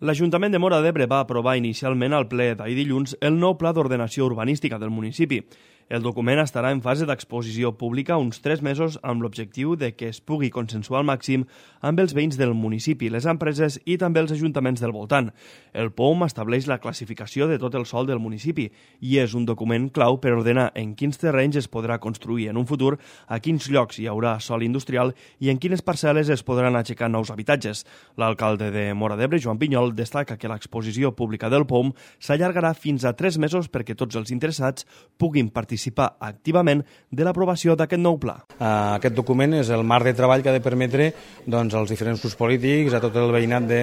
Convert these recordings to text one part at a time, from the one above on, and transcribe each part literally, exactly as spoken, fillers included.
L'Ajuntament de Móra d'Ebre va aprovar inicialment al ple d'ahir dilluns el nou pla d'ordenació urbanística del municipi. El document estarà en fase d'exposició pública uns tres mesos amb l'objectiu de que es pugui consensuar al màxim amb els veïns del municipi, les empreses i també els ajuntaments del voltant. El P O M estableix la classificació de tot el sòl del municipi i és un document clau per ordenar en quins terrenys es podrà construir en un futur, a quins llocs hi haurà sòl industrial i en quines parcel·les es podran aixecar nous habitatges. L'alcalde de Móra d'Ebre, Joan Pinyol, destaca que l'exposició pública del P O M s'allargarà fins a tres mesos perquè tots els interessats puguin participar activament de l'aprovació d'aquest nou pla. Aquest document és el marc de treball que ha de permetre doncs, als diferents grups polítics, a tot el veïnat de,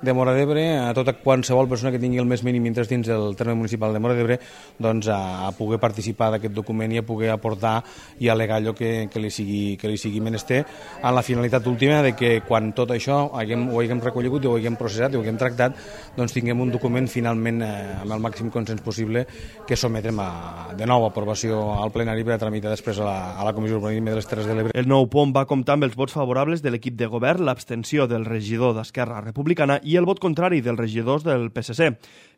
de Móra d'Ebre, a tota qualsevol persona que tingui el més mínim interès dins del terme municipal de Móra d'Ebre, doncs, a, a poder participar d'aquest document i a poder aportar i al·legar allò que, que, li sigui, que li sigui menester, amb la finalitat última de que quan tot això haguem, ho haguem recollit, ho haguem processat i ho haguem tractat, doncs tinguem un document finalment eh, amb el màxim consens possible que sometrem a, de nou a aprovació al plenari per a tramitar després a la, a la Comissió Urbanisme de les Terres de l'Ebre. El nou P O M va comptar amb els vots favorables de l'equip de govern, l'abstenció del regidor d'Esquerra Republicana i el vot contrari dels regidors del P S C.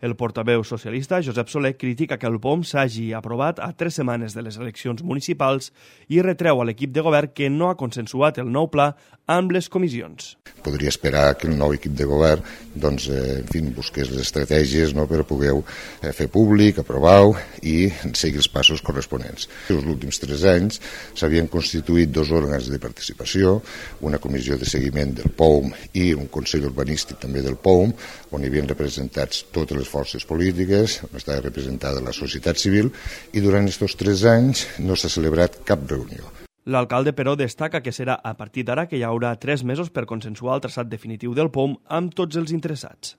El portaveu socialista, Josep Soler, critica que el P O M s'hagi aprovat a tres setmanes de les eleccions municipals i retreu a l'equip de govern que no ha consensuat el nou pla amb les comissions. Podria esperar que el nou equip de govern doncs, eh, en fi, busqués les estratègies no, per poder eh, fer públic, aprovar i seguir els passos corresponents. Els últims tres anys s'havien constituït dos òrgans de participació, una comissió de seguiment del P O M i un Consell Urbanístic també del P O M, on hi havien representats totes les forces polítiques, on estava representada la societat civil, i durant aquests tres anys no s'ha celebrat cap reunió. L'alcalde, però, destaca que serà a partir d'ara que hi haurà tres mesos per consensuar el traçat definitiu del P O M amb tots els interessats.